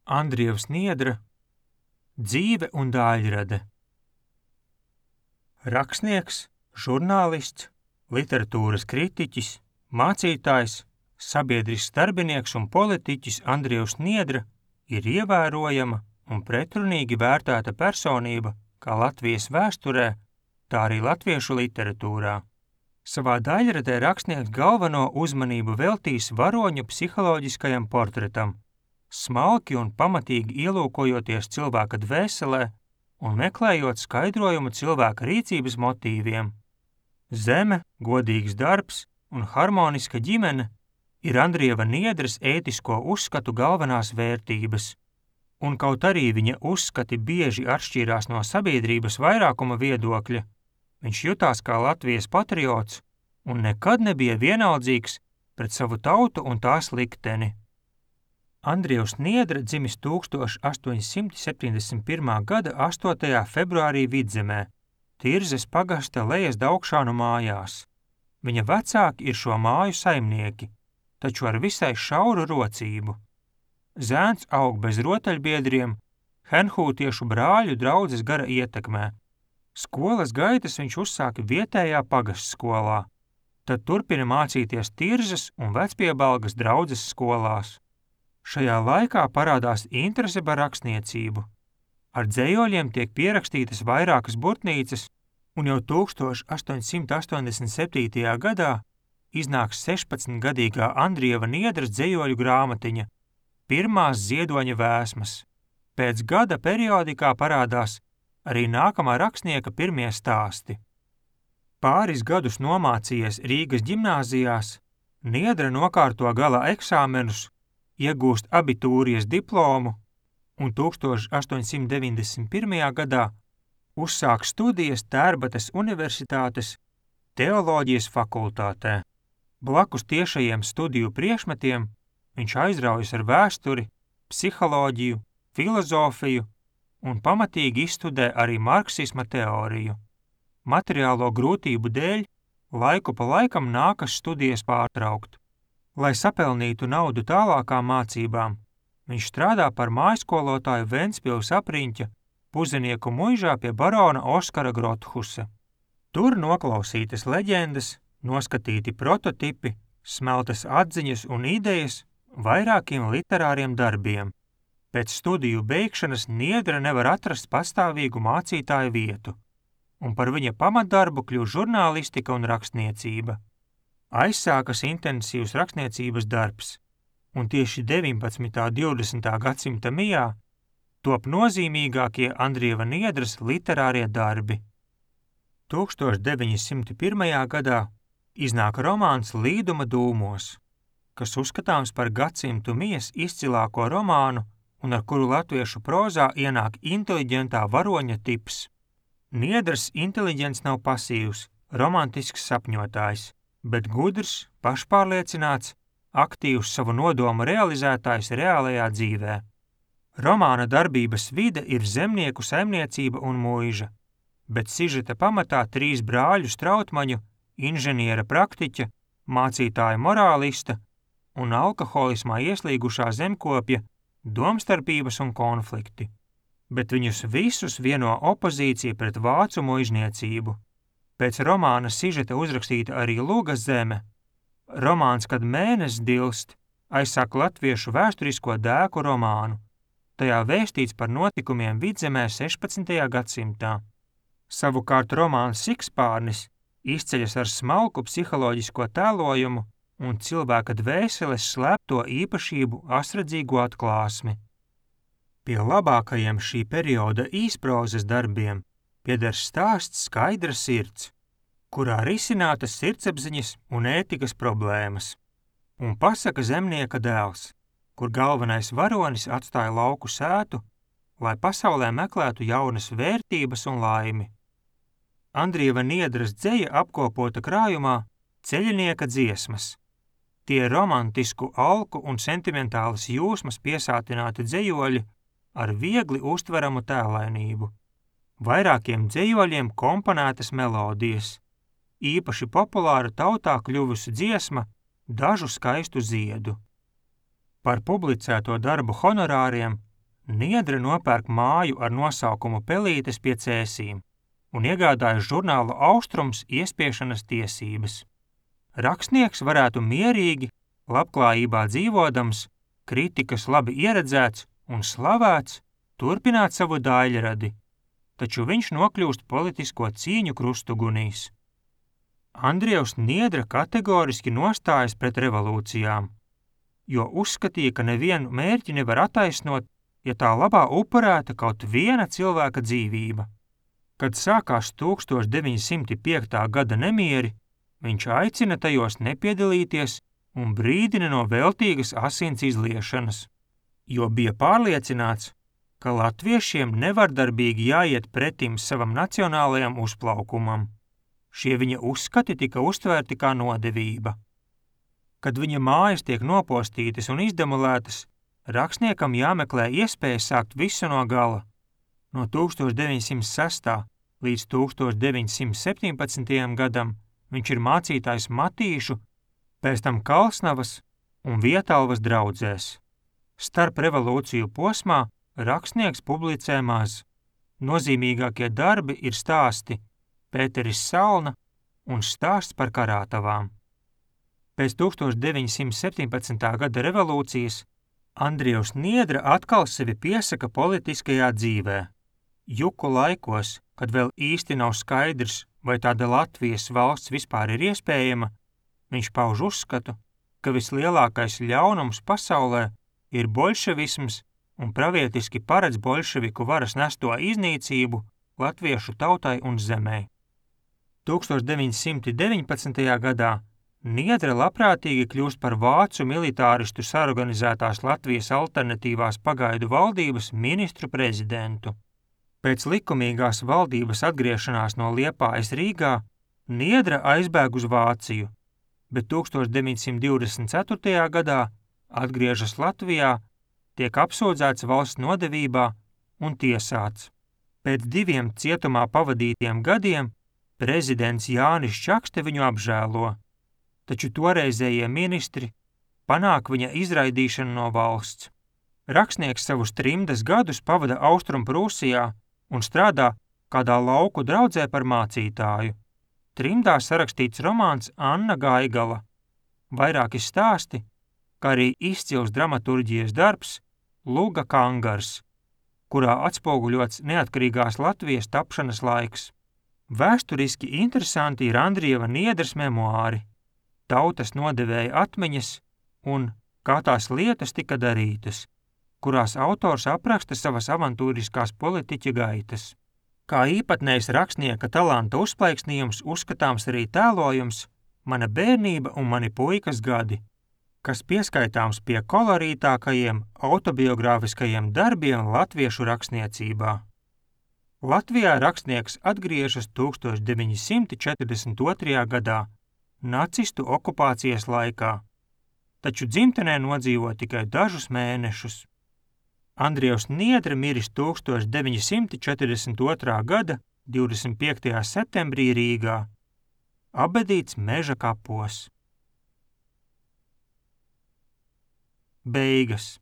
Andrievs Niedra Dzīve un dāļrade. Rakstnieks, žurnālists, literatūras kritiķis, mācītājs, sabiedrisks darbinieks un politiķis Andrievs Niedra ir ievērojama un pretrunīgi vērtēta personība kā Latvijas vēsturē, tā arī latviešu literatūrā. Savā daļradē rakstnieks galveno uzmanību veltīs varoņu psiholoģiskajam portretam, smalki un pamatīgi ielūkojoties cilvēka dvēselē un meklējot skaidrojumu cilvēka rīcības motīviem. Zeme, godīgs darbs un harmoniska ģimene ir Andrieva Niedras ētisko uzskatu galvenās vērtības, un kaut arī viņa uzskati bieži atšķīrās no sabiedrības vairākuma viedokļa, viņš jutās kā Latvijas patriots un nekad nebija vienaldzīgs pret savu tautu un tās likteni. Andrievs Niedra dzimis 1871. gada 8. februārī Vidzemē, Tirzes pagasta Lejas Daugšānu mājās. Viņa vecāki ir šo māju saimnieki, taču ar visai šauru rocību. Zēns aug bez rotaļbiedriem, henhūtiešu brāļu draudzes gara ietekmē. Skolas gaitas viņš uzsāka vietējā pagastskolā, tad turpina mācīties Tirzes un Vecpiebalgas draudzes skolās. Šajā laikā parādās interese par rakstniecību. Ar dzejoļiem tiek pierakstītas vairākas burtnīcas, un jau 1887. gadā iznāks 16-gadīgā Andrieva Niedras dzejoļu grāmatiņa Pirmās ziedoņa vēsmas. Pēc gada periodikā parādās arī nākamā rakstnieka pirmie stāsti. Pāris gadus nomācījies Rīgas ģimnāzijās, Niedra nokārto gala eksāmenus, iegūst abitūrijas diplomu un 1891. gadā uzsāk studijas Tērbatas Universitātes teoloģijas fakultātē. Blakus tiešajiem studiju priekšmetiem viņš aizraujas ar vēsturi, psiholoģiju, filozofiju un pamatīgi izstudē arī marksisma teoriju. Materiālo grūtību dēļ laiku pa laikam nākas studijas pārtraukt. Lai sapelnītu naudu tālākām mācībām, viņš strādā par mājskolotāju Ventspils apriņķa Puzenieku muižā pie barona Oskara Grothusa. Tur noklausītas leģendas, noskatīti prototipi, smeltas atziņas un idejas vairākiem literāriem darbiem. Pēc studiju beigšanas Niedra nevar atrast pastāvīgu mācītāju vietu, un par viņa pamatdarbu kļūst žurnālistika un rakstniecība. Aizsākas intensīvs rakstniecības darbs, un tieši 19. un 20. gadsimta mijā top nozīmīgākie Andrieva Niedras literārie darbi. 1901. gadā iznāk romāns Līduma dūmos, kas uzskatāms par gadsimtu mijas izcilāko romānu un ar kuru latviešu prozā ienāk inteliģentā varoņa tips. Niedras inteliģents nav pasīvs, romantisks sapņotājs, bet gudrs, pašpārliecināts, aktīvs savu nodomu realizētājs reālajā dzīvē. Romāna darbības vide ir zemnieku saimniecība un muiža, bet sižeta pamatā 3 brāļu Strautmaņu, inženiera praktiķa, mācītāja morālista un alkoholismā ieslīgušā zemkopja domstarpības un konflikti. Bet viņus visus vieno opozīcija pret vācu muižniecību. Pēc romāna sižeta uzrakstīta arī Luga zeme. Romāns, kad mēnesis dilst, aizsāk latviešu vēsturisko dēku romānu. Tajā vēstīts par notikumiem Vidzemē 16. gadsimtā. Savukārt romāns Sikspārnis izceļas ar smalku psiholoģisko tēlojumu un cilvēka dvēseles slēpto īpašību asredzīgo atklāsmi. Pie labākajiem šī perioda īsprozes darbiem pieder stāsts Skaidra sirds, kurā risinātas sirdsapziņas un ētikas problēmas, un pasaka Zemnieka dēls, kur galvenais varonis atstāja lauku sētu, lai pasaulē meklētu jaunas vērtības un laimi. Andrieva Niedras dzeja apkopota krājumā Ceļinieka dziesmas. Tie romantisku alku un sentimentālas jūsmas piesātināti dzejoļi ar viegli uztveramu tēlainību. Vairākiem dzejoļiem komponētas melodijas, īpaši populāra tautā kļuvusi dziesma Dažu skaistu ziedu. Par publicēto darbu honorāriem Niedre nopērk māju ar nosaukumu Pelītes pie Cēsīm un iegādājas žurnāla Austrums iespiešanas tiesības. Rakstnieks varētu mierīgi, labklājībā dzīvodams, kritikas labi ieredzēts un slavēts, turpināt savu daļradi, taču viņš nokļūst politisko cīņu krustugunīs. Andrievs Niedra kategoriski nostājas pret revolūcijām, jo uzskatīja, ka nevienu mērķi nevar attaisnot, ja tā labā upurēta kaut viena cilvēka dzīvība. Kad sākās 1905. gada nemieri, viņš aicina tajos nepiedalīties un brīdina no veltīgas asins izliešanas, jo bija pārliecināts, ka latviešiem nevardarbīgi jāiet pretim savam nacionālajam uzplaukumam. Šie viņa uzskati tika uztvērti kā nodevība. Kad viņa mājas tiek nopostītas un izdemolētas, rakstniekam jāmeklē iespēja sākt visu no gala. No 1906. līdz 1917. gadam viņš ir mācītājs Matīšu, pēc tam Kalsnavas un Vietalvas draudzēs. Starp revolūciju posmā rakstnieks publicē maz. Nozīmīgākie darbi ir stāsti Pēteris Salna un stāsts par karātavām. Pēc 1917. gada revolūcijas Andrievs Niedra atkal sevi piesaka politiskajā dzīvē. Juku laikos, kad vēl īsti nav skaidrs, vai tāda Latvijas valsts vispār ir iespējama, viņš pauž uzskatu, ka vislielākais ļaunums pasaulē ir boļševisms un pravietiski paredz boļševiku varas nesto iznīcību latviešu tautai un zemē. 1919. gadā Niedra labprātīgi kļūst par vācu militāristu sarganizētās Latvijas alternatīvās pagaidu valdības ministru prezidentu. Pēc likumīgās valdības atgriešanās no Liepājas Rīgā Niedra aizbēg uz Vāciju, bet 1924. gadā atgriežas Latvijā, tiek apsūdzēts valsts nodevībā un tiesāts. Pēc 2 cietumā pavadītiem gadiem prezidents Jānis Čakste viņu apžēlo, taču toreizējie ministri panāk viņa izraidīšanu no valsts. Rakstnieks savus trimdas gadus pavada Austrumprūsijā un strādā kādā lauku draudzē par mācītāju. Trimdā sarakstīts romāns Anna Gaigala, vairāki stāsti, kā arī izcils dramaturģijas darbs Luga Kangars, kurā atspoguļots neatkarīgās Latvijas tapšanas laiks. Vēsturiski interesanti ir Andrieva Niedras memoāri, Tautas nodevēja atmiņas un Kā tās lietas tika darītas, kurās autors apraksta savas avantūriskās politiķa gaitas. Kā īpatnējs rakstnieka talanta uzplaiksnījums uzskatāms arī tēlojums Mana bērnība un mani puikas gadi, kas pieskaitāms pie kolorītākajiem autobiogrāfiskajiem darbiem latviešu rakstniecībā. Latvijā rakstnieks atgriežas 1942. gadā, nacistu okupācijas laikā, taču dzimtenē nodzīvo tikai dažus mēnešus. Andrievs Niedra miris 1942. gada 25. septembrī Rīgā, apbedīts Meža kapos. Beigas.